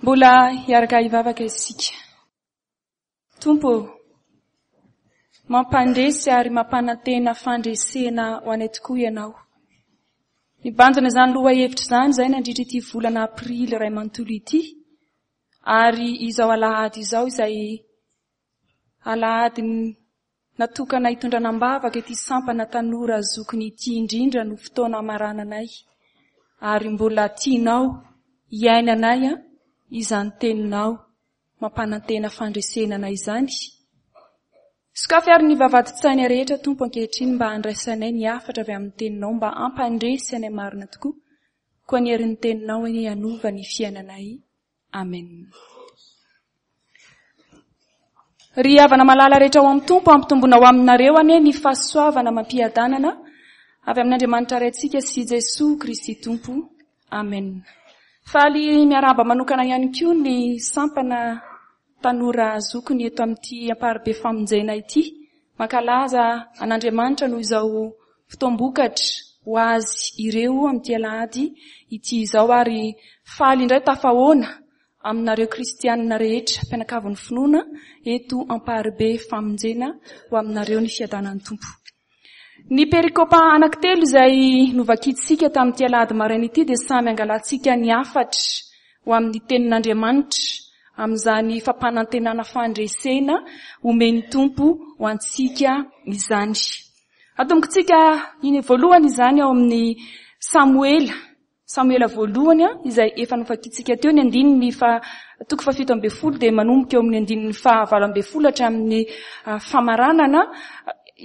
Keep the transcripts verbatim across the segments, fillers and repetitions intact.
Mbola hiaraka hivavaka isika. Tompo ô, mampandresy ary mampanantena fandresena ho anay tokoa Ianao. Nibanjina izany lohahevitra izany izahay nandritra ity volana aprily iray manontolo ity, ary izao alahady izao izay alahady natokana hitondrana am-bavaka ity sampana tanora zokiny ity indrindra no fotoana hamarananay, ary mbola tianao hiainanay izany teninao mampanantena fandresena anay izany. Sokafy ary ny vavahadin-tsaina rehetra Tompo ankehitriny mba handraisanay ny hafatra avy amin'ny teninao, mba hampandresy anay marina tokoa. Koa ny herin'ny teninao anie hanova ny fiainanay. Amen. Ry havana malala rehetra ao amin'ny Tompo, ampitomboina ho aminareo anie ny fahasoavana amam-piadanana avy amin'Andriamanitra Raintsika sy Jesoa Kristy Tompo. Amen. Faly miarahaba manokana ihany koa ny sampana tanora zokiny eto amin'ity Amparibe Famonjena ity. Mankalaza an'Andriamanitra noho izao fotoam-bokatra ho azy ireo amin'ity alahady ity izao, ary faly indray tafahoana aminareo kristianina rehetra mpianakavin'ny finoana eto Amparibe Famonjena. Ho aminareo ny fiadanan'ny Tompo. Ny perikopa anankitelo izay novakintsika tamin'ity alahady maraina ity dia samy angalantsika ny hafatra ho amin'ny tenin'Andriamanitra amin'izany fampanantenana fandresena omen'ny Tompo ho antsika izany. Atombokintsika iny voalohany izany ao amin'ny Samoela. Samoela voalohany izay efa novakintsika teo ny andininy fa toko fahafito ambin'ny folo dia manomboka eo amin'ny andininy fahavalo ambin'ny folo hatramin'ny famaranana.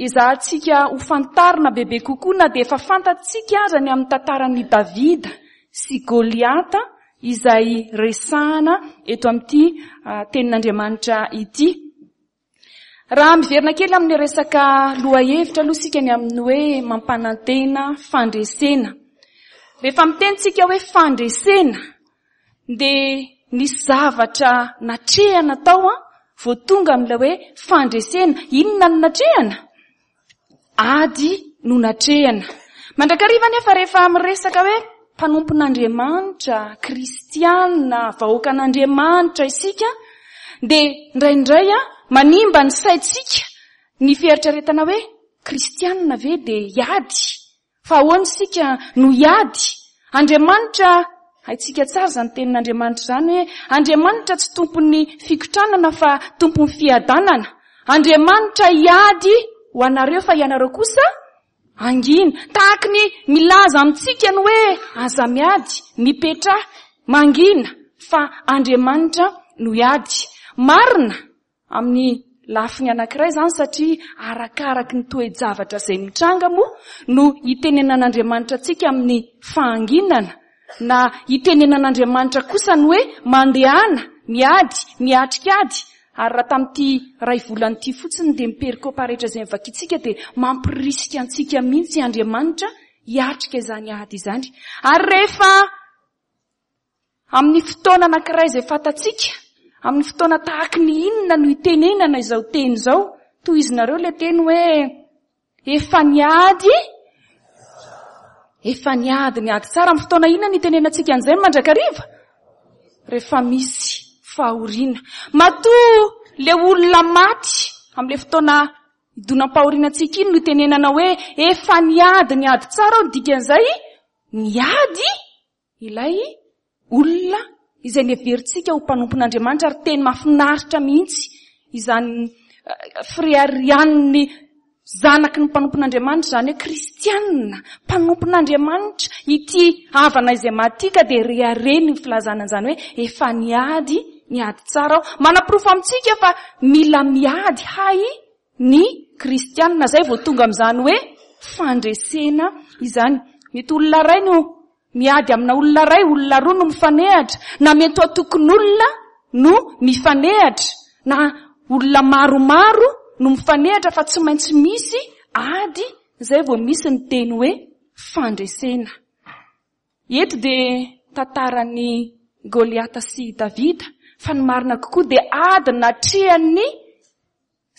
Ezahantsika ho fantarina bebe kokoa na dia efa fantatsika aza ny amin'ny tantaran'i Davida sy Goliata izay resahana eto amin'ity tenin'Andriamanitra ity. Raha miverina kely amin'ny resaka lohahevitra aloha isika ny amin'ny hoe mampanantena fandresena. Rehefa miteny tsika hoe fandresena dia nisy zavatra natrehana tao vao tonga amin'ilay hoe fandresena. Inona no natrehana? Ady no natrehana. Mandrakariva nefa rehefa miresaka hoe mpanompon'Andriamanitra, kristiana, vahoakan'Andriamanitra isika, dia indraindray manimba ny saintsika ny fieritreretana hoe kristiana ve dia hiady? Fa ahoana isika no hiady? Andriamanitra, haintsika tsara izany tenin'Andriamanitra izany hoe Andriamanitra tsy tompon'ny fikotranana fa tompon'ny fiadanana. Andriamanitra hiady ho anareo fa ianareo kosa hangina. Tahaky ny milaza amintsika ny hoe aza miady, mipetraha, mangina, fa Andriamanitra no hiady. Marina amin'ny lafiny anankiray izany satria arakaraky ny toe-javatra izay mitranga moa no hitenenan'Andriamanitra antsika amin'ny fahanginana, na hitenenan'Andriamanitra kosa ny hoe mandehana, miady, miatrika ady. Ary raha tamin'ity ray volana ity fotsiny dia miperikopa rehetra izay mivakintsika dia mampirisika antsika mihitsy Andriamanitra hiatrika izany ady izany. Ary rehefa amin'ny fotoana anankiray izay fantatsika, amin'ny fotoana tahaky ny inona no hitenenana izao teny izao, tohizinareo ilay teny hoe efa niady, efa niady ny ady tsara. Amin'ny fotoana inona no hitenenantsika an'izay mandrakariva? Rehefa misy fahoriana. Matoa le olona maty amin'ilay fotoana idonam-pahoriana antsika iny no hitenenana hoe efa niady ny ady tsara, ny dikan'izay niady ilay olona izay neverintsika ho mpanompon'Andriamanitra. Ary teny mahafinaritra mihitsy izany fireharehan'ny zanaky ny mpanompon'Andriamanitra izany hoe kristianina, mpanompon'Andriamanitra. Ity havana izay maty ka dia rehareny ny filazana an'izany hoe efa niady ny ady tsara aho. Manaporofo amintsika fa mila miady hay ny kristianina, izay vao tonga amin'izany hoe fandresena izany. Mety olona iray no miady amina olona iray, olona roa no mifanehatra, na mety ho antokon'olona no mifanehatra, na olona maromaro no mifanehatra, fa tsy maintsy misy ady izay vao misy ny teny hoe fandresena. Eto dia tantaran'i Goliata sy Davida, fa ny marina kokoa dia ady natrehan'ny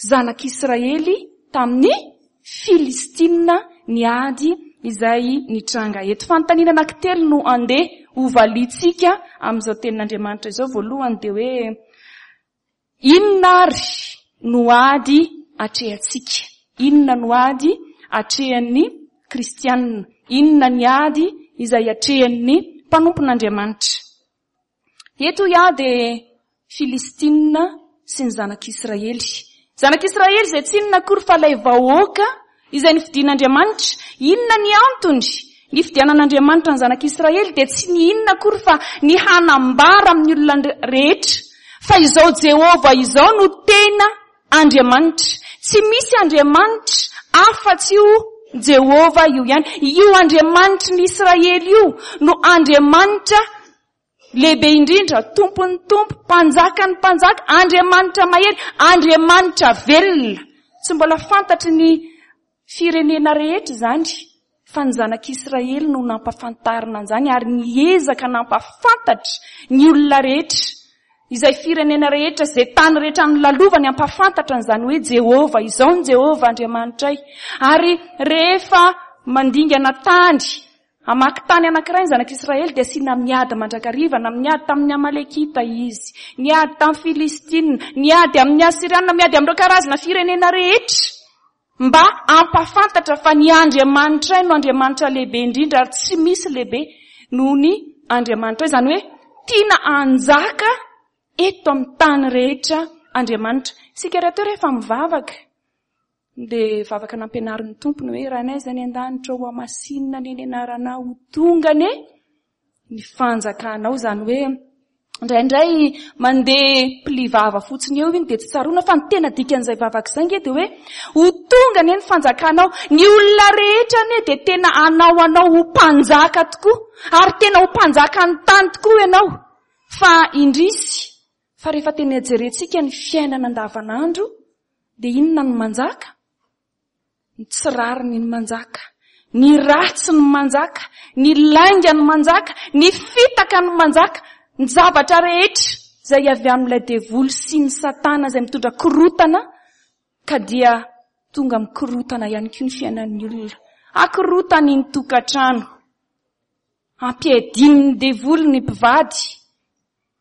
zanak'Israely tamin'ny Filistina ny ady izay nitranga eto. Fanontaniana anankitelo no andeha hovaliantsika amin'izao tenin'Andriamanitra izao. Voalohany dia hoe inona ary no ady atrehantsika? Inona no ady atrehan'ny kristianina? Inona ny ady izay atrehan'ny mpanompon'Andriamanitra? Eto iaho dia Filistinina sy ny zanak'Israely. Zanak'Israely izay tsy inona akory fa ilay vahoaka izay nofidin'Andriamanitra. Inona ny antony nifidianan'Andriamanitra ny zanak'Israely? Dia tsy ny inona akory fa ny hanambara amin'ny olona rehetra fa izao Jehovah izao no tena Andriamanitra. Tsy misy Andriamanitra afa-tsy io Jehovah io ihany. Io Andriamanitry ny Israely io no Andriamanitra lehibe indrindra, tompon'ny tompo, mpanjakan'ny mpanjaka, Andriamanitra mahery, Andriamanitra velona. Tsy mbola fantatry ny firenena rehetra izany, fa ny zanak'Israely no nampafantarina an'izany ary niezaka nampafantatra ny olona rehetra, izay firenena rehetra, izay tany rehetra nolalovany, hampafantatra an'izany hoe Jehovah, izao ny Jehovah Andriamanitray. Ary rehefa mandingana tany, hamaky tany anankiray ny zanak'Israely dia asiana miady mandrakariva, na miady tamin'ny Amalekita izy, niady tamin'ny Filistina, niady amin'ny Asyriana, miady amin'ireo karazana firenena rehetra, mba hampafantatra fa ny Andriamanitray no Andriamanitra lehibe indrindra ary tsy misy lehibe noho ny Andriamanitray. Izany hoe tiana hanjaka eto amin'ny tany rehetra Andriamanitra. Isika rahateo rehefa mivavaka dia vavaka nampianarin'ny Tompo ny hoe Rainay izay any an-danitra, ho hamasinina anie ny anaranao, ho tonga anie ny fanjakanao. Izany hoe indraindray mandeha pli vava fotsiny eo iny dia tsy tsaroana, fa ny tena dikan'izay vavaka izay nge dia hoe ho tonga anie ny fanjakanao. Ny olona rehetra anie dia tena hanao anao ho mpanjaka tokoa, ary tena ho mpanjakan'ny tany tokoa ianao. Fa indrisy fa rehefa tena jerentsika ny fiainana andavanandro dia inona no manjaka? Ny tsy rariny ny manjaka, ny ratsy ny manjaka, ny lainga ny manjaka, ny fitaka ny manjaka, ny zavatra rehetra izay avy amin'ilay devoly sy ny satana izay mitondra korotana, ka dia tonga mikorotana ihany koa ny fiainan'ny olona. Akorotany ny tokantrano, ampiadian'ny devoly ny mpivady,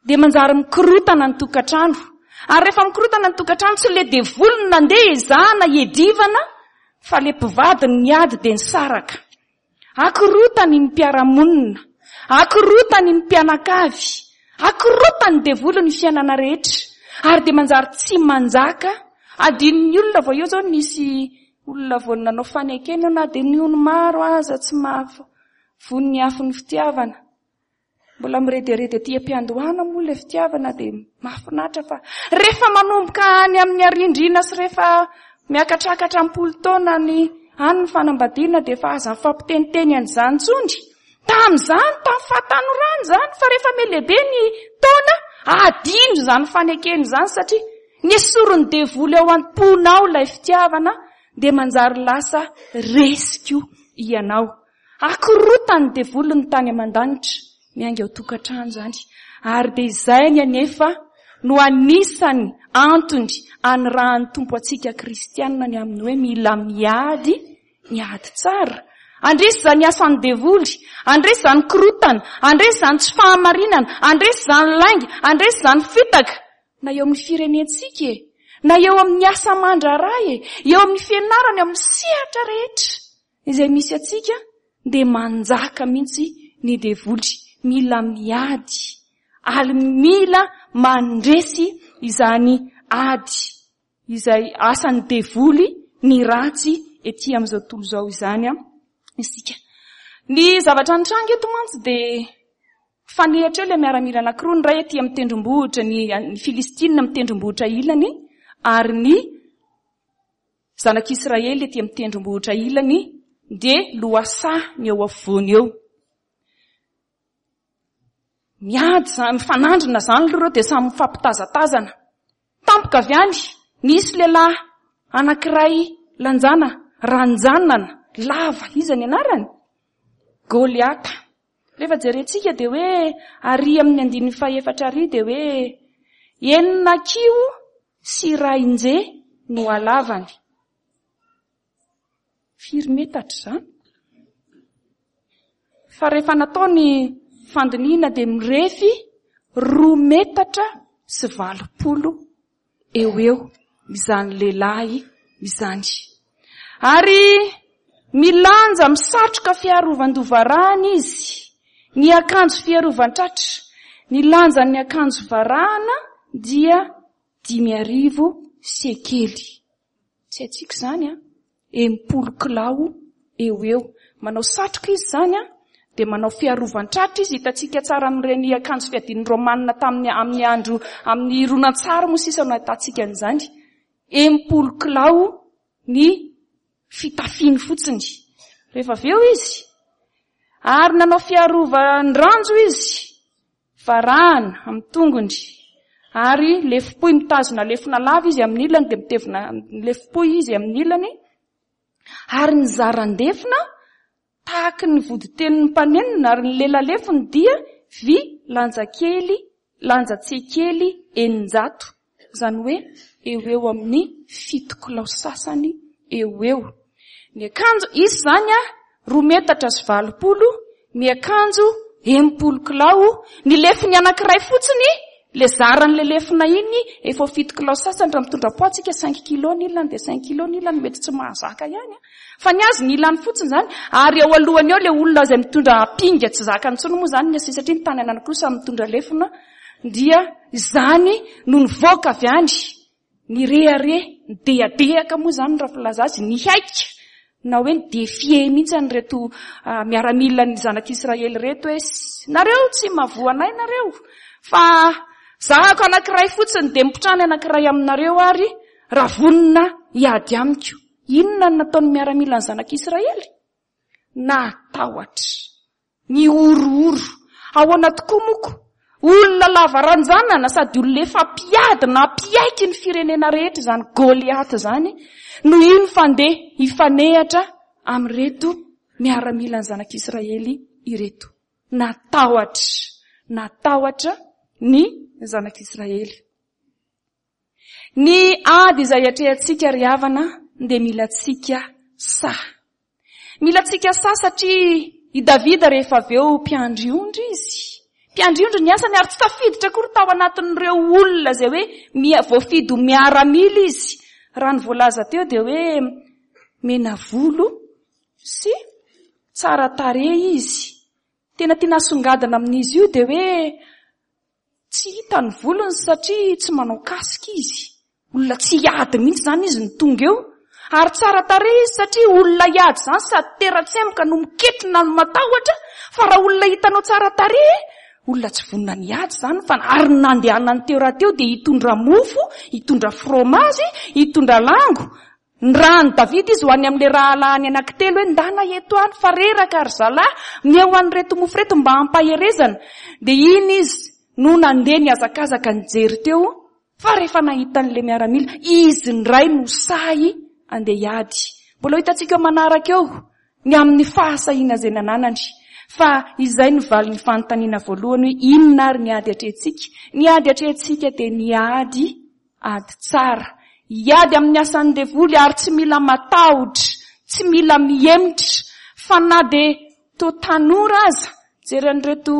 dia manjary mikorotana ny tokantrano. Ary rehefa mikorotana ny tokantrano, tsy ilay devoly no nandeha ezahana hiadivana, fa ilay mpivady no niady dia nisaraka. Akorotany ny mpiara-monina, akorotany ny mpianakavy, akorotany devoly ny fiainana rehetra, ary dia manjary tsy manjaka. Adinon'ny olona vao eo izao nisy olona vao nanao fanekena na dia ny ony maro aza tsy mahavono ny afon'ny fitiavana. Mbola mirederedy aty am-piandohana moa ilay fitiavana dia mahafinaritra, fa rehefa manomboka any amin'ny arindrina sy rehefa miakatrakatra am-polo taona ny any ny fanambadiana dia efa aza mifampiteniteny an'izany intsony. Tamin'izany, tamin'ny fahatanorana izany, fa rehefa mihalehibe ny taona, adino izany fanekena izany, satria nesorin'ny devoly ao am-ponao ilay fitiavana, dia manjary lasa resiko ianao. Akorotan'ny devoly ny tany aman-danitra, miainga ao tokantrano izany. Ary dia izay ny anefa no anisany antony anirahan'ny Tompo antsika kristianina ny amin'ny hoe mila miady, miady tsara. Andresy izany asan'ny devoly, andresy izany korotana, andresy izany tsy fahamarinana, andresy izany lainga, andresy izany fitaka. Na eo amin'ny firenentsika e, na eo amin'ny asa aman-draharaha e, eo amin'ny fianarana, eo amin'ny sehatra rehetra izay misy antsika, dia manjaka mihitsy ny devoly. Mila miady ary mila mandresy izany ady izay asan'ny devoly ny ratsy ety amin'izao tontolo izao izany isika. Ny zavatra nitranga eto mantsy dia fanehatra eo ilay miaramila anankiroa, ny iray ety amin'ny tendrombohitra, ny, ny Filistinina amin'ny tendrombohitra ilany, ary ny zanak'Israely ety amin'ny tendrombohitra ilany, dia lohasaha ny eo afovoany eo. Miady izany, mifanandrina izany aloha ireo dia samy mifampitazatazana. Tampoka avy any, nisy lehilahy anankiray lanjana, ranjanana, lava, iza ny anarany? Goliata. Rehefa jerentsika dia hoe ary amin'ny andininy fahefatra ary dia hoe enina kiho sy iray no halavany. Firy metatra izany? Fa rehefa natao ny fandinihina dia mirefy roa metatra sy valopolo eo eo izany lehilahy izany. Ary milanja misatroka fiarovan-doha varahana izy, ny akanjo fiarovan-tratra, ny lanjan'ny akanjo varahana dia dimy arivo sekely. Tsy haintsika izany a, enimpolo kilao eo eo. Manao satroka izy izany a, dia manao fiarovan-tratra izy, hitantsika tsara amin'ireny akanjo fiadian'ny Romanina tamin'ny amin'ny andro amin'ny ronan-tsary moa sisa no ahitantsika an'izany. Enimpolo kilao ny fitafiny fotsiny. Rehefa avy eo izy, ary nanao fiarovan-dranjo izy, varahana amin'ny tongony, ary lefom-pohy mitazona lefona lava izy amin'ny ilany, dia mitevina lefom-pohy izy amin'ny ilany, ary ny zaran-defona tahaky ny voditenin'ny mpanenona, ary ny lelalefony dia vy lanja kely, lanja tsekely eninjato, izany hoe eo eo amin'ny fito kilao sasany eo eo. Ny akanjo izy izany a, roa metatra sy valopolo, miakanjo enimpolo kilao, ny lefony anankiray fotsiny, le zaran'le lefona iny efa ho fito kilao sasany, raha mitondra poids tsika cinq kilo ny ilany dia cinq kilo ny ilany, mety tsy mahazaka ihany a. Fa ny azy ny ilany fotsiny izany, ary eo alohany eo le olona izay mitondra ampinga tsy zakany intsony moa izany ny satria ny tany anankiroa samy mitondra lefona, dia izany no nivoaka avy any, nirehareha, nidehadehaka moa izany raha filaza azy, nihaika na hoe nidefie mihitsy an'ireto miaramilan'ny zanak'Israely ireto hoe nareo tsy mahavoa anay nareo, fa zahako anankiray fotsiny dia mipotrany anankiray aminareo ary raha vonona hiady amiko. Inona no nataon'ny miaramilan'ny zanak'Israely? Natahotra, nihorohoro. Ahoana tokoa moko? Olona lava ranjanana sady olona efa mpiady na mpiaiky ny firenena rehetra izany Goliath izany no iny fandeha hifanehatra amin'ireto miaramilan'ny zanak'Israely ireto. Natahotra, natahotra ny zanak'Israely. Ny ady izay atrehantsika ry havana dia mila antsika sahy. Mila antsika sahy satria i Davida rehefa avy eo mpiandry ondry izy. Mpiandry ondry ny asany ary tsy tafiditra akory tao anatin'ireo olona izay hoe mia-, voafidy ho miaramila izy. Raha ny voalaza teo dia hoe mena volo sy tsara tarehy izy. Tena tiana asongadina amin'izy io dia hoe tsy hita ny volony satria tsy manao kasika izy. Olona tsy hiady mihitsy izany izy no tonga eo. Ary tsara tarehy izy satria olona hiady izany sady tera-tsemboka no miketrona no matahotra, fa raha olona hitanao tsara tarehy, olona tsy vonona ny hiady izany, fa ary ny nandehanany teo raha teo dia hitondra mofo, hitondra fromazy, hitondra lango. Ny rahan'i Davida izy ho any amin'ilay rahalahiny anankitelo hoe ndana eto any fa reraka ry zalahy, meo an'ireto mofo ireto mba hampaherezana. Dia iny izy no nandeha nihazakazaka nijery teo, fa rehefa nahita an'ilay miaramila, izy indray no sahy andeha hiady. Mbola ho hitantsika eo manaraka eo ny amin'ny fahasahiana izay nananany. Fa izay no valin'ny fanontaniana voalohany hoe inona ary ny ady atrehintsika? Ny ady atrehintsika dia ny ady, ady tsara. Hiady amin'ny asan'ny devoly ary tsy mila matahotra, tsy mila mihemotra, fa na dia to tanora aza, jery an'ireto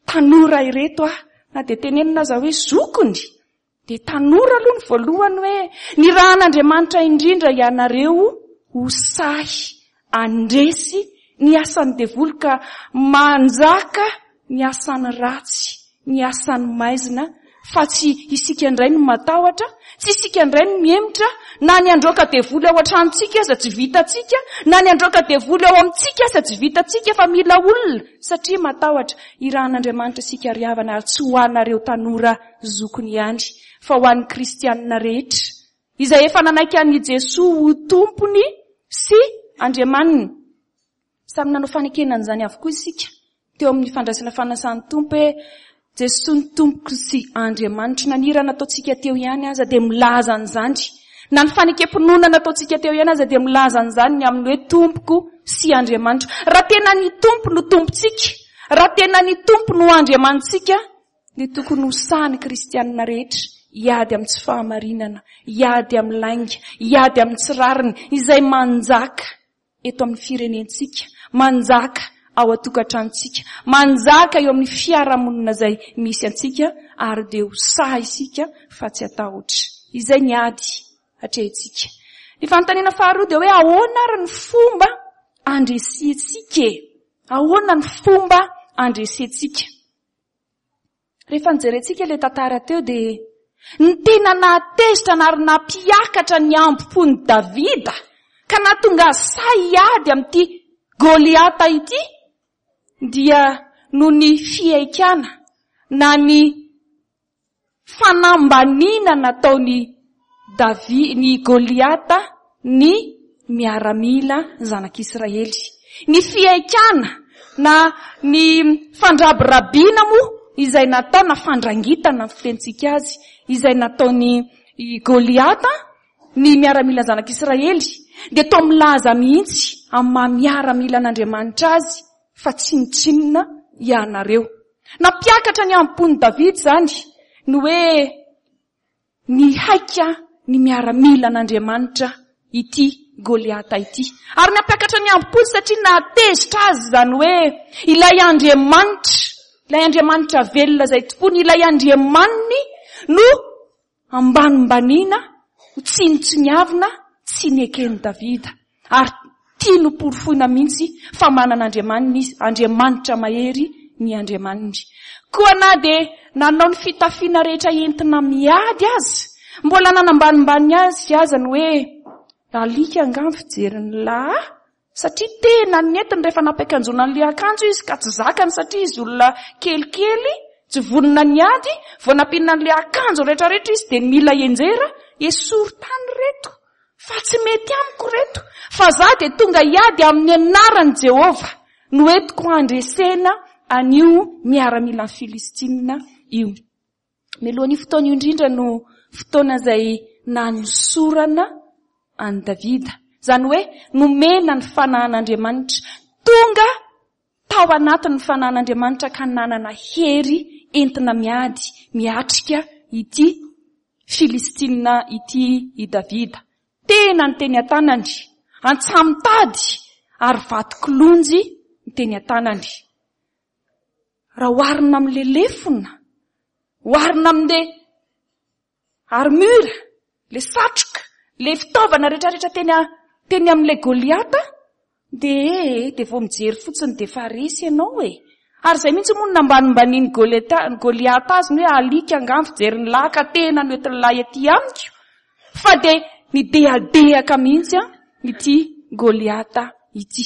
tanora ireto aho, na dia tenenina aza hoe zokony, dia tanora aloha ny voalohany hoe ny rahan'Andriamanitra indrindra ianareo ho sahy handresy ny asan'ny devoly ka manjaka ny asan'ny ratsy, ny asan'ny maizina, fa tsy isika indray no matahotra, tsy isika indray no mihemotra, na ny handroaka devoly ao an-tranontsika aza tsy vitantsika, na ny handroaka devoly ao amintsika aza tsy vitantsika, fa mila olona satria matahotra. Irahan'Andriamanitra isika ry havana, ary tsy ho anareo tanora zokony ihany, fa ho an'ny kristianina rehetra izay efa nanaiky an'i Jesoa ho tompony sy Andriamaniny. Samy nanao fanekena an'izany avokoa isika teo amin'ny fandraisana fanasan'ny Tompo hoe Jesoa ny Tompoko sy Andriamanitro. Na ny hira nataontsika teo ihany aza dia milaza an'izany, na ny fanekem-pinoana nataontsika teo ihany aza dia milaza an'izany ny amin'ny hoe Tompoko sy Andriamanitro. Raha tena ny Tompo no Tompontsika, raha tena ny Tompo no Andriamanitsika, dia tokony ho sahy ny kristianina rehetra hiady amin'ny tsy fahamarinana, hiady amin'ny lainga, hiady amin'ny tsy rariny izay manjaka eto amin'ny firenentsika, manjaka ao an-tokantranontsika, manjaka eo amin'ny fiarahamonina izay misy antsika, ary dia ho sahy isika fa tsy hatahotra. Izay ny ady atrehintsika. Ny fanontaniana faharoa dia hoe ahoana ary ny fomba andresentsika e? Ahoana ny fomba andresentsika? Rehefa nijerentsika ilay tantara teo dia ny tena nahatezitra ary nampiakatra ny ambo-pon'i Davida ka nahatonga azy sahy hiady amin'ity Goliata ity dia noho ny fihaikana na ny fanambaniana nataon'i Davi-, ny Goliata ny miaramila zanak'Israely. Ny fihaikana na ny fandrabirabiana moa izay natao na fandrangitana ny fitentsika azy izay nataon'i Goliata ny miaramila zanak'Israely dia toa milaza mihitsy amin'ny maha miaramila an'Andriamanitra azy fa tsinontsinona ianareo. Nampiakatra ny ampon'i Davida izany ny hoe nihaika ny miaramila an'Andriamanitra ity Goliata ity. Ary nampiakatra ny ampony satria nahatezitra azy izany hoe ilay Andriamanitra, ilay Andriamanitra velona izay tompony, ilay Andriamaniny no ambanimbaniana, ho tsinontsiniavina, tsy neken'i Davida. Ary tiany ho porofoina mihitsy fa manana Andriamaniny izy, Andriamanitra mahery ny Andriamaniny. Koa na dia nanao ny fitafiana rehetra entina miady azy, mbola nanambanimbany azy aza ny hoe alika angaha ny fijerin'ny lahy, satria tena nentiny rehefa nampiakanjoana an'ilay akanjo izy ka tsy zakany satria izy olona kelikely, tsy vonona niady, vao nampiana an'ilay akanjo rehetrarehetra izy dia mila enjera, esory tany reto, fa tsy mety amiko reto, fa za dia tonga hiady amin'ny anaran'i Jehovah, no entiko handresena an'io miaramila Filistina io. Mialohan'io fotoana io indrindra no fotoana izay nanosorana an'i Davida. Izany hoe nomena ny fanahin'Andriamanitra. Tonga tao anatin'ny fanahin'Andriamanitra ka nanana hery entina miady, miatrika ity Filistina ity i Davida. Tena ny teny an-tanany, antsamitady ary vato kilonjy ny teny an-tanany. Raha oharina amin'ilay lefona, oharina amin'ilay armure, ilay satroka, ilay fitaovana rehetrarehetra teny a-, teny amin'ilay Goliata, dia, dia vao mijery fotsiny dia efa resy ianao e. Ary izay mihitsy moa no nambanimbanian'i Goliata, Goliata azy ny hoe alika angaha ny fijerin'ny lahy ka tena no entin'ny lahy aty amiko. Fa dia nidehadehaka mihitsy a ity Goliata ity.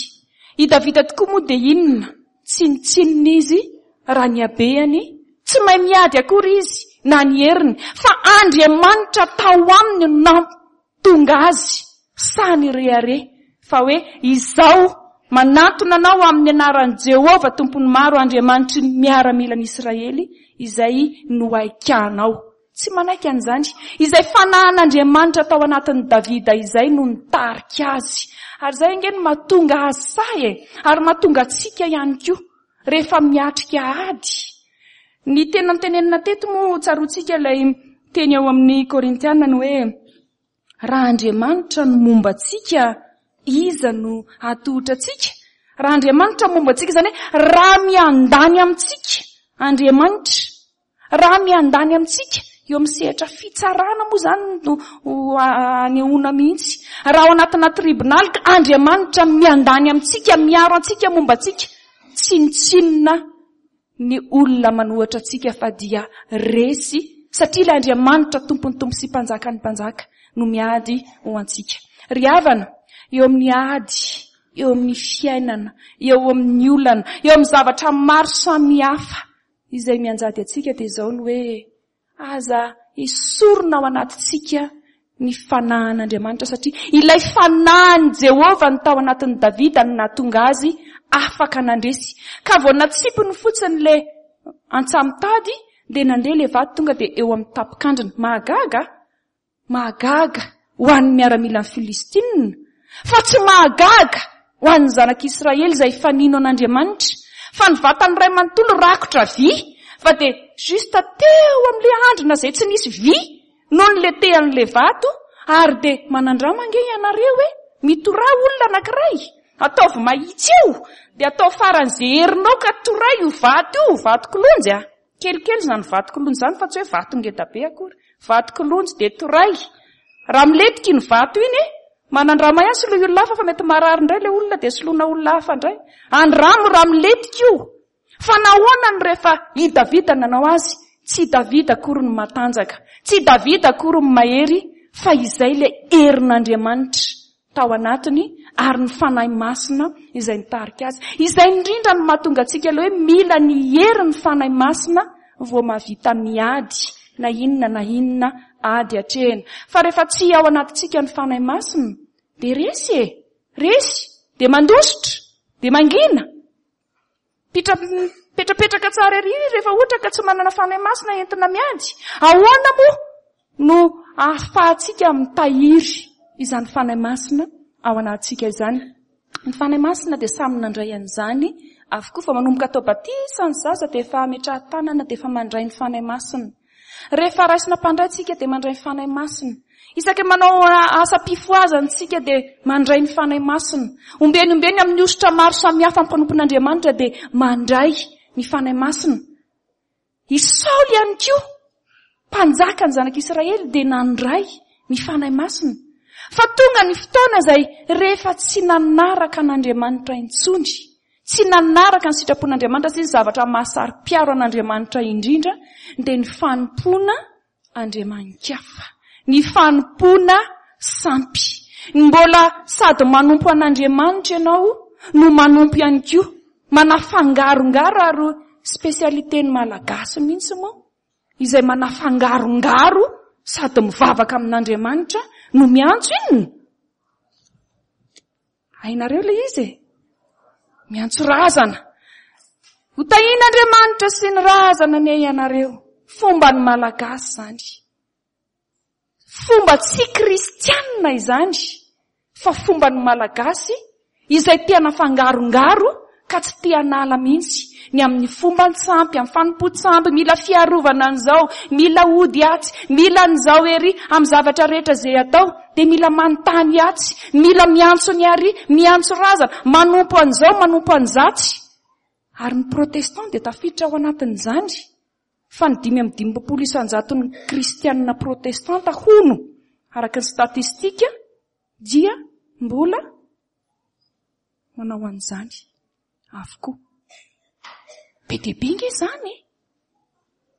I Davida tokoa moa dia inona? Tsinontsinona izy raha ny habehany, tsy mahay miady akory izy na ny heriny, fa Andriamanitra tao aminy no nampitonga azy sahy nirehareha fa hoe izao manantona anao amin'ny anaran'i Jehovah Tompon'ny maro, Andriamanitry ny miaramilan'Israely izay nohaikanao. Tsy manaiky an'izany. Izay fanahin'Andriamanitra tao anatin'i Davida izay no nitarika azy. Ary izay ange no mahatonga azy sahy e, ary mahatonga antsika ihany koa rehefa miatrika ady. Ny tena notenenina teto moa tsaroantsika ilay teny ao amin'ny Korintiana ny hoe raha Andriamanitra no momba antsika, iza no hatohitra antsika? Raha Andriamanitra momba antsika, izany hoe raha miandany amintsika Andriamanitra, raha miandany amintsika eo amin'ny sehatra fitsarana moa izany no anehoana mihitsy. Raha ao anatina tribonaly ka Andriamanitra miandany amintsika, miaro antsika, momba antsika, tsinontsinona ny olona manohatra antsika fa dia resy, satria ilay Andriamanitra tompon'ny tompo sy mpanjakan'ny mpanjaka no miady ho antsika. Ry havana, eo amin'ny ady, eo amin'ny fiainana, eo amin'ny olana, eo amin'ny zavatra maro samihafa izay mianjady antsika dia izao ny hoe aza esorina ao anatintsika ny fanahin'Andriamanitra, satria ilay fanahin'i Jehovah no tao anatin'i Davida no nahatonga azy afaka nandresy. Ka vao natsipiny fotsiny ilay antsamitady dia nandeha ilay vato tonga dia eo amin'ny tapokandrina. Mahagaga, mahagaga ho an'ny miaramilan'ny Filistinina, fa tsy mahagaga ho an'ny zanak'Israely izay efa nino an'Andriamanitra, fa ny vatany iray manontolo rakotra vy, fa dia juste teo amin'ilay andrina izay tsy nisy vy noho ny letehan'ilay vato, ary dia manandrama ange ianareo hoe mitoraha olona anankiray. Ataovy mahitsy eo, dia atao faran'izay herinao ka toray io vato io, vato kilonjy a. Kelikely izany vato kilonjy izany fa tsy hoe vato ngeda be akory. Vato kilonjy dia toray. Raha milentika iny vato iny, manandrama ihany soloy olona hafa fa mety marary indray ilay olona dia soloina olona hafa indray. Andramo raha milentika io. Fa nahoana no rehefa i Davida nanao azy, tsy i Davida akory no matanjaka, tsy i Davida akory no mahery, fa izay ilay herin'Andriamanitra tao anatiny ary ny Fanahy Masina izay nitarika azy. Izay indrindra no mahatonga antsika ilay hoe mila ny herin'ny Fanahy Masina vao mahavita miady na inona na inona ady atrehina. Fa rehefa tsy ao anatintsika ny Fanahy Masina dia resy e, resy, dia mandositra, dia mangina. Pitra, petrapetraka tsara ery rehefa ohatra ka tsy manana Fanahy Masina entina miady. Ahoana moa no ahafahantsika mitahiry izany Fanahy Masina ao anatintsika izany? Ny Fanahy Masina dia samy nandray an'izany avokoa, fa manomboka atao batisa ny zaza dia efa ametrahan-tanana dia efa mandray ny Fanahy Masina. Rehefa raisina mpandray tsika dia mandray ny Fanahy Masina. Isaky manao asam-pifohazana tsika dia mandray ny Fanahy Masina. Ombeny ombeny amin'ny hosotra maro samihafa amin'ny mpanompon'Andriamanitra dia mandray ny Fanahy Masina. I Saoly ihany koa, mpanjaka ny zanak'Israely, dia nandray ny Fanahy Masina. Fa tonga ny fotoana izay rehefa tsy nanaraka an'Andriamanitra intsony, tsy nanaraka ny sitrapon'Andriamanitra sy ny zavatra mahasaro-piaro an'Andriamanitra indrindra, dia ny fanompoana andriamani-kafa, ny fanompoana sampy. Ny mbola sady manompo an'Andriamanitra ianao no manompo ihany koa, manafangarongaro, ary spécialité ny Malagasy mihitsy moa, izay manafangarongaro sady mivavaka amin'Andriamanitra no miantso inona? Hainareo ilay izy e? Miantso razana. Ho tahian'Andriamanitra sy ny razana anie ianareo. Fomba ny Malagasy izany. Fomba tsy kristianina izany, fa fomba ny Malagasy izay te hanafangarongaro ka tsy te hanala mihitsy ny amin'ny fomban-tsampy, amin'ny fanompoan-tsampy, mila fiarovana an'izao, mila ody atsy, mila an'izao ery, amin'ny zavatra rehetra izay atao, dia mila manontany atsy, mila miantso ny ary, miantso razana, manompo an'izao, manompo an'izatsy. Ary ny protestant dia tafiditra ao anatin'izany, fa ny dimy amby dimampolo isan-jaton'ny kristianina protestanta hono, araka ny statistika, dia mbola manao an'izany avokoa. Be dia be nge izany e.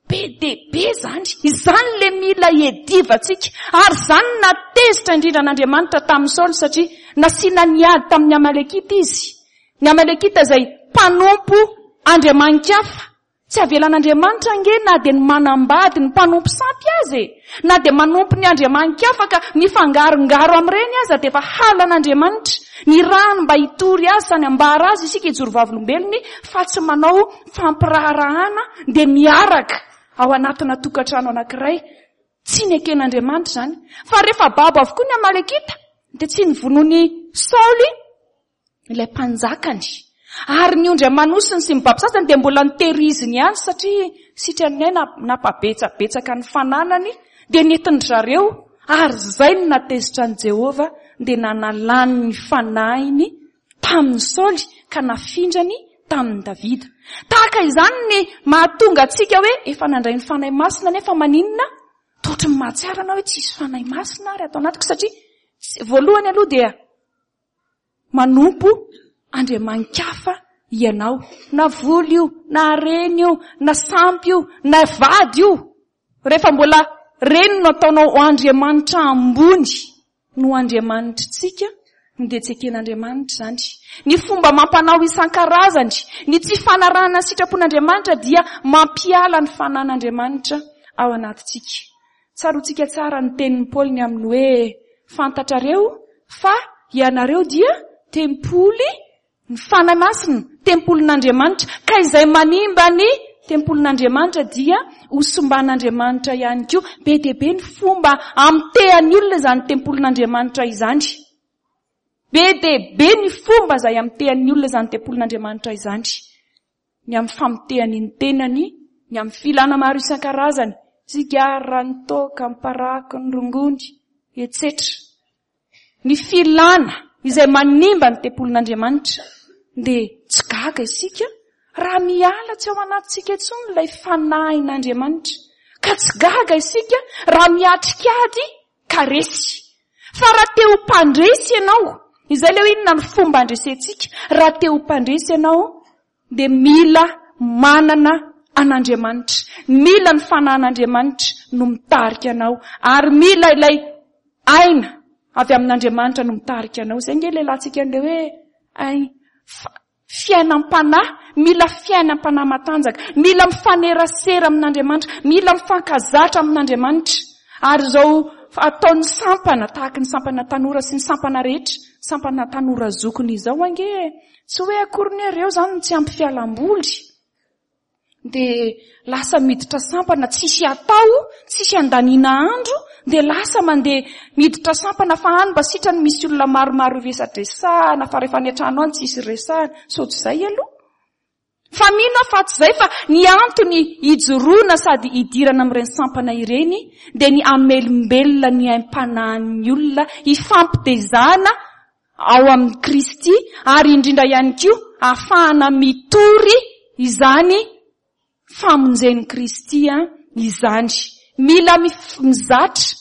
Be dia be izany. Izany le mila iadivantsika. Ary izany natezitra indrindra an'Andriamanitra tamin'ny Saoly, satria nasiana niady tamin'ny Amalekita izy. Ny Amalekita izay mpanompo andriamani-kafa. Tsy avelan'Andriamanitra nge na dia ny manambady ny mpanompo sampy azy e. Na dia manompo ny andriamani-kafa ka mifangarongaro amin'ireny aza dia efa halan'Andriamanitra. Ny rano mba hitory azy sy hanambara azy isika hijoro vavolombelony, fa tsy manao fampiraharahana dia miaraka ao anatina tokantrano anankiray. Tsy neken'Andriamanitra izany. Fa rehefa babo avokoa ny Amalekita dia tsy novonoin'i Saoly ilay mpanjakany. Ary ny ondry aman'osiny sy ny babo sasany dia mbola nitehiriziny ihany, satria sitrany aina nampabetsabetsaka ny fananany, dia nentin-dry zareo. Ary izay no natezitra an'i Jehovah, dia nanalany ny fanahiny tamin'ny Saoly ka nafindrany tamin'i Davida. Tahaka izany ny mahatonga antsika hoe efa nandray ny Fanahy Masina, nefa maninona? Toa ny mahatsiaro anao hoe tsisy Fanahy Masina ary ato anatiko, satria voalohany aloha dia manompo andriamani-kafa ianao, na vola io, na harena io, na sampy io, na vady io. Rehefa mbola reny no ataonao ho andriamanitra ambony no andriamanitritsika, dia tsy eken'Andriamanitra izany. Ny fomba mampanao isan-karazany, ny tsy fanarahana ny sitrapon'Andriamanitra dia mampiala ny fanan'Andriamanitra ao anatintsika. Tsaroantsika tsara ny tenin'i Paoly ny amin'ny hoe fantatrareo fa ianareo dia tempoly ny Fanahy Masina, tempolin'Andriamanitra, ka izay manimba ny tempolin'Andriamanitra dia hosomban'Andriamanitra ihany koa. Be dia be ny fomba amitehan'ny olona izany tempolin'Andriamanitra izany. Be dia be ny fomba izay amitehan'ny olona izany tempolin'Andriamanitra izany. Ny amin'ny famotehany ny tenany, ny amin'ny filana maro isan-karazany, sigara, ny toaka, ny paraky, ny rongony, et cetera. Ny filana izay manimba ny tempolin'Andriamanitra. Dia tsy gaga isika raha miala tsy ao anatintsika intsony ilay fanahin'Andriamanitra. Ka tsy gaga isika raha miatrika ady ka resy. Fa raha te ho mpandresy ianao, izay ilay hoe inona ny fomba handresentsika, raha te ho mpandresy ianao dia mila manana an'Andriamanitra. Mila ny fanahin'Andriamanitra no mitarika anao, ary mila ilay aina avy amin'Andriamanitra no mitarika anao. Izay nge ilay latsika an'ilay hoe ay, fiainam-panahy, mila fiainam-panahy matanjaka, mila mifanerasera amin'Andriamanitra, mila mifankazatra amin'Andriamanitra. Ary izao ataon'ny sampana, tahaka ny sampana tanora sy ny sampana rehetra, sampana tanora zokiny izao ange, tsy hoe akory ny ireo izany tsy ampy fialamboly. Dia lasa miditra sampana tsisy atao, tsisy andaniana andro, dia lasa mandeha miditra sampana fa any mba sitrany misy olona maromaro resadresahana, fa rehefa any an-trano any tsisy resahana. Sao tsy izay aloha? Fa mino aho fa tsy izay, fa ny antony hijoroana sady hidirana amin'ireny sampana ireny dia ny hamelombelona ny aim-panahin'ny olona hifampitezana ao amin'i Kristy, ary indrindra ihany koa ahafahana mitory izany famonjen'i Kristy izany. Mila mizatra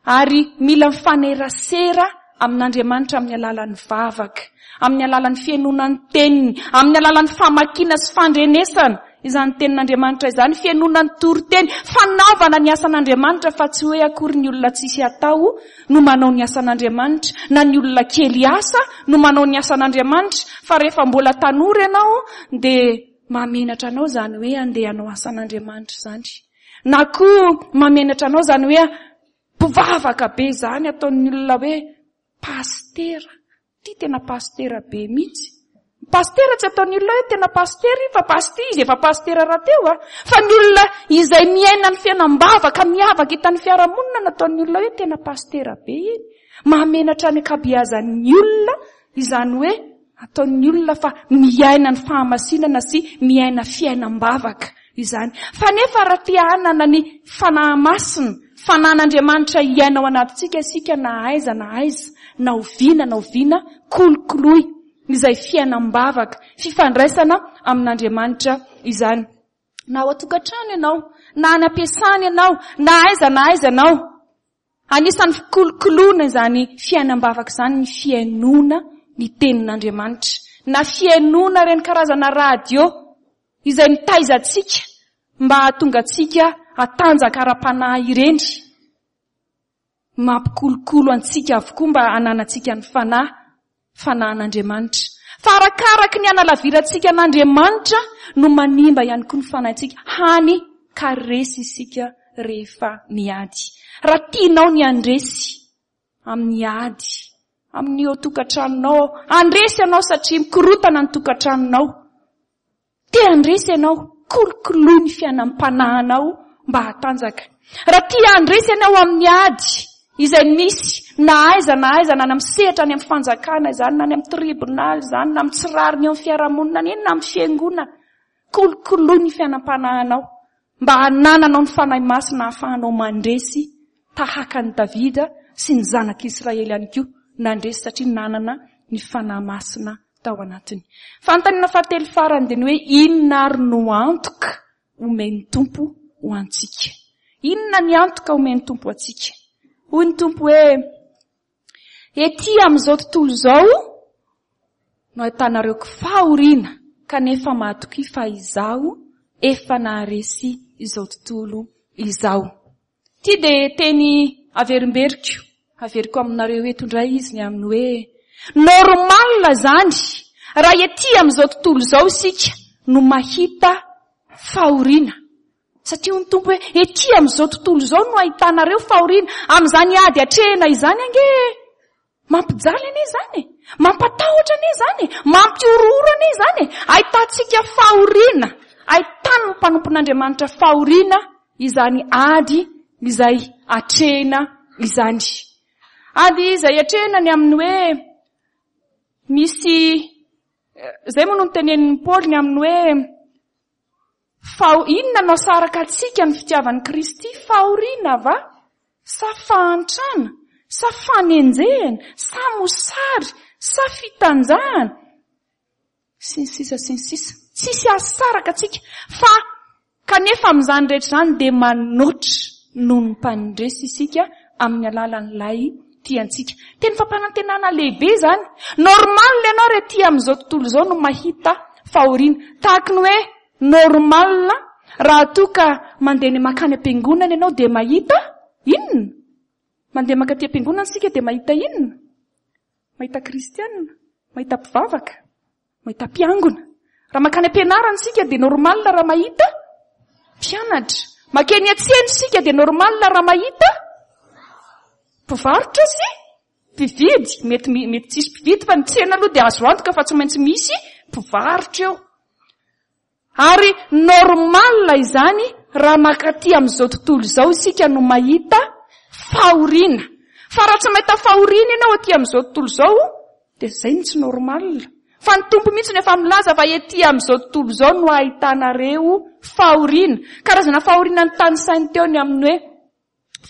ary mila mifanerasera amin'Andriamanitra amin'ny alalan'ny vavaka, amin'ny alalan'ny fihainoana ny teniny, amin'ny alalan'ny famakiana sy fandrenesana izany tenin'Andriamanitra izany, fihainoana ny toriteny, fanaovana ny asan'Andriamanitra, fa tsy hoe akory ny olona tsisy atao no manao ny asan'Andriamanitra, na ny olona kely asa no manao ny asan'Andriamanitra. Fa rehefa mbola tanora ianao dia mahamenatra anao izany hoe andeha hanao asan'Andriamanitra izany, na koa mahamenatra anao izany hoe mpivavaka be izany, ataon'ny olona hoe pastera, ty tena pastera be mihitsy. Pastera tsy ataon'ny olona hoe tena pastera io, fa pastera izy efa pastera rahateo a. Fa ny olona izay miaina ny fiainam-bavaka miavaka hitan'ny fiarahamonina no ataon'ny olona hoe tena pastera be iny. Mahamenatra ny ankabeazan'ny olona izany hoe ataon'ny olona fa miaina ny fahamasinana sy miaina fiainam-bavaka izany. Fa nefa raha te hanana ny fanahy masina, fanahin'Andriamanitra hiaina ao anatintsika isika na aiza na aiza, na oviana na oviana, kolokoloy izay fiainam-bavaka, fifandraisana amin'Andriamanitra izany. Na ao an-tokantrano ianao, na any am-piasana ianao, na aiza na aiza ianao. Anisan'ny fikolokoloana izany fiainam-bavaka izany ny fihainoana ny tenin'Andriamanitra, na fihainoana ireny karazana radio izay mitaiza antsika mba hahatonga antsika hatanjaka ara-panahy ireny. Mampikolokolo antsika avokoa mba hananantsika ny fanahy, fanahin'Andriamanitra. Fa arakaraky ny hanalavirantsika an'Andriamanitra no manimba ihany koa ny fanahintsika, hany ka resy isika rehefa miady. Raha tianao ny handresy amin'ny ady, amin'ny eo tokantranonao, handresy ianao satria mikorotana ny tokantranonao. Te handresy ianao, kolokoloy ny fiainam-panahinao mba hatanjaka. Raha tia handresy ianao amin'ny ady izay misy na aiza na aiza, na any amin'ny sehatra, any amin'ny fanjakana izany, na any amin'ny tribonaly izany, na amin'ny tsy rariny eo amin'ny fiarahamonina, na eny na amin'ny fiangonana, kolokoloy ny fiainam-panahinao mba hanananao ny fanahy masina ahafahanao mandresy tahaka an'i Davida sy ny zanak'Israely ihany koa nandresy satria nanana ny fanahy masina tao anatiny. Fanontaniana fahatelo farany dia ny hoe inona ary no antoka omen'ny Tompo ho antsika? Inona ny antoka omen'ny Tompo antsika? Hoy ny Tompo hoe ety amin'izao tontolo izao no ahitanareo fahoriana, kanefa mahatokia fa izaho efa naharesy izao tontolo izao. Ty dia teny averimberiko, averiko aminareo eto indray izy ny amin'ny hoe normal izany raha ety amin'izao tontolo izao isika no mahita fahoriana. Satria hoy ny Tompo hoe ety amin'izao tontolo izao no ahitanareo fahoriana. Amin'izany ady atrehina izany ange mampijaly anie izany, mampatahotra anie izany, mampihorohoro anie izany. Ahitantsika fahoriana, ahitan'ny mpanompon'Andriamanitra fahoriana izany ady izay atrehina izany. Ady izay atrehina ny amin'ny hoe misy, izay moa no notenenin'i Paoly ny amin'ny hoe fa inona no asaraka antsika ny fitiavan'i Kristy? Fahoriana va? Sa fahantrana? Sa fanenjehana? Sa mosary? Sa fitanjahana? Sy ny sisa sy ny sisa. Tsisy ahasaraka antsika. Fa kanefa amin'izany rehetra izany dia manoatra noho ny mpandresy isika amin'ny alalan'ilay tia antsika. Teny fampanantenana lehibe izany. Normal ianao raha ety amin'izao tontolo izao no mahita fahoriana. Tahaka ny hoe normal raha toa ka mandeha ny mankany am-piangonana ianao dia mahita inona? Mandeha mankaty am-piangonana isika dia mahita inona? Mahita kristianina, mahita mpivavaka, mahita mpiangona. Raha mankany am-pianarana isika dia normal raha mahita mpianatra. Mankeny an-tsena isika dia normal raha mahita mpivarotra sy mpividy. Mety, mety tsisy mpividy fa ny tsena aloha dia azo antoka fa tsy maintsy misy mpivarotra eo. Ary normal izany raha mankaty amin'izao tontolo izao isika no mahita fahoriana. Fa raha tsy mahita fahoriana ianao aty amin'izao tontolo izao dia izay no tsy normal. Fa ny Tompo mihitsy no efa milaza fa ety amin'izao tontolo izao no ahitanareo fahoriana. Karazana fahoriana notanisainy teo ny amin'ny hoe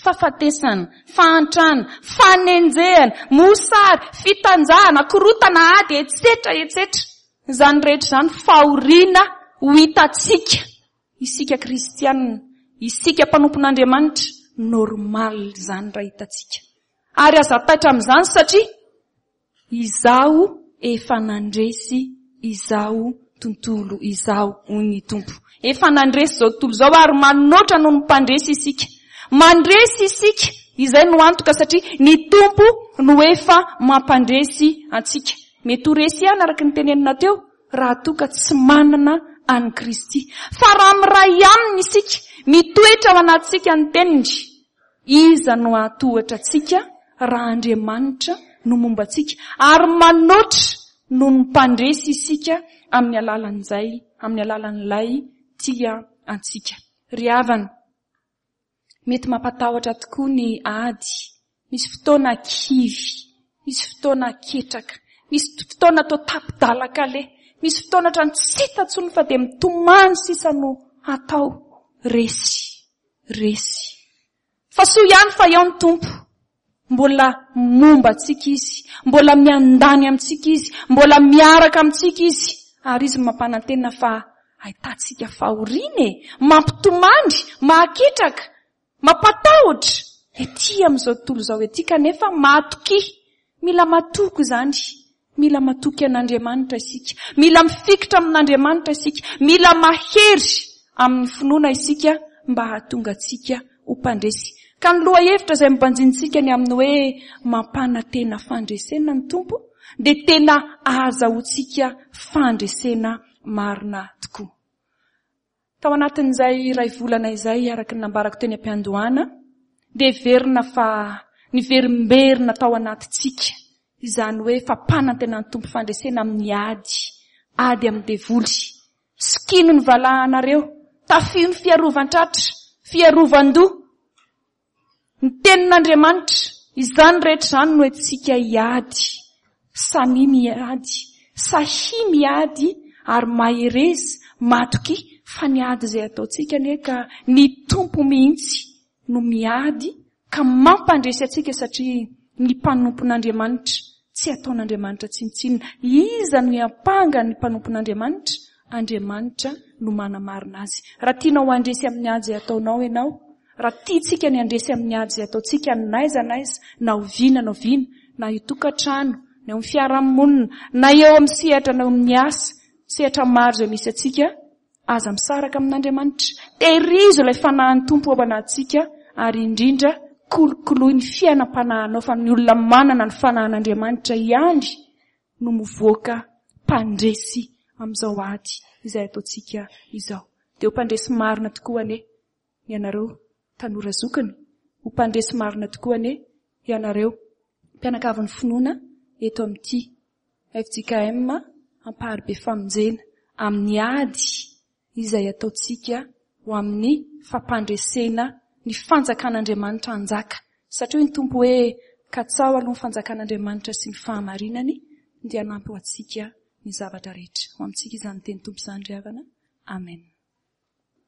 fahafatesana, fahantrana, fanenjehana, mosary, fitanjahana, korotana, ady, etsetra, etsetra. Izany rehetra izany fahoriana ho hitantsika. Isika kristianina, isika mpanompon'Andriamanitra, normal izany raha hitantsika. Ary aza taitra amin'izany satria izaho efa nandresy izao tontolo izao, hoy ny Tompo. Efa nandresy izao tontolo izao ary manoatra noho ny mpandresy isika. Mandresy isika, izay no antoka satria ny Tompo no efa mampandresy antsika. Mety ho resy ihany araka ny tenenina teo raha toa ka tsy manana an'i Kristy. Fa raha miray aminy isika, mitoetra ao anatintsika ny teniny, iza no hahatohatra antsika raha Andriamanitra no momba antsika? Ary manoatra noho ny mpandresy isika amin'ny alalan'izay, amin'ny alalan'ilay tia antsika. Ry havana, mety mampatahotra tokoa ny ady. Misy fotoana kivy, misy fotoana ketraka, misy fotoana atao tapi-dalan-kaleha, misy fotoana hatrany tsy hita intsony fa dia mitomany sisa no hatao. Resy, resy. Fa soa ihany fa eo ny Tompo. Mbola momba antsika Izy, mbola miandany amintsika Izy, mbola miaraka amintsika Izy. Ary Izy mampanantena fa ahitantsika fahoriana e, mampitomany, mahaketraka, mampatahotra ety amin'izao tontolo izao ety, kanefa matoky. Mila matoky izany. Mila matoky an'Andriamanitra isika. Mila mifikitra amin'Andriamanitra isika. Mila mahery amin'ny finoana isika mba hahatonga antsika ho mpandresy. Ka ny lohahevitra izay mibanjinintsika ny amin'ny hoe mampanantena fandresena ny Tompo dia tena ahazahoantsika fandresena marina tokoa. Tao anatin'izay iray volana izay, araka ny nambarako teny am-piandohana, dia heverina fa niverimberina tao anatintsika izany hoe fampanantenan'ny Tompo fandresena amin'ny ady, ady amin'ny devoly. Sikino ny valahanareo, tafio ny fiarovan-tratra, fiarovan-doha, ny tenin'Andriamanitra. Izany rehetra izany no entintsika hiady. Samia miady, sahia miady ary mahereza, matokia fa ny ady izay ataontsika anie ka ny Tompo mihitsy no miady ka mampandresy antsika, satria ny mpanompon'Andriamanitra tsy ataon'Andriamanitra tsinontsinona. Iza no hiampanga ny mpanompon'Andriamanitra? Andriamanitra no manamarina azy. Raha tianao handresy amin'ny ady izay ataonao ianao, raha tiantsika ny handresy amin'ny ady izay ataontsika n'aiza n'aiza, na oviana na oviana, na eo tokantrano, na eo amin'ny fiarahamonina, na eo amin'ny sehatra, na eo amin'ny asa, sehatra maro izay misy antsika, aza misaraka amin'Andriamanitra. Tehirizo ilay fanahin'ny Tompo ao anatintsika, ary indrindra kolokoloy ny fiainam-panahinao, fa ny olona manana ny fanahin'Andriamanitra ihany no mivoaka mpandresy amin'izao ady izay ataontsika izao. Dia ho mpandresy marina tokoa anie ianareo tanora zokiny, ho mpandresy marina tokoa anie ianareo mpianakavin'ny finoana eto amin'ity F J K M Amparibe Famonjena amin'ny ady izay ataontsika ho amin'ny fampandresena ny fanjakan'Andriamanitra hanjaka. Satria hoy ny Tompo hoe katsaho aloha ny fanjakan'Andriamanitra sy ny fahamarinany dia hanampy ho antsika ny zavatra rehetra. Ho amintsika izany teny Tompo izany ry havana. Amen.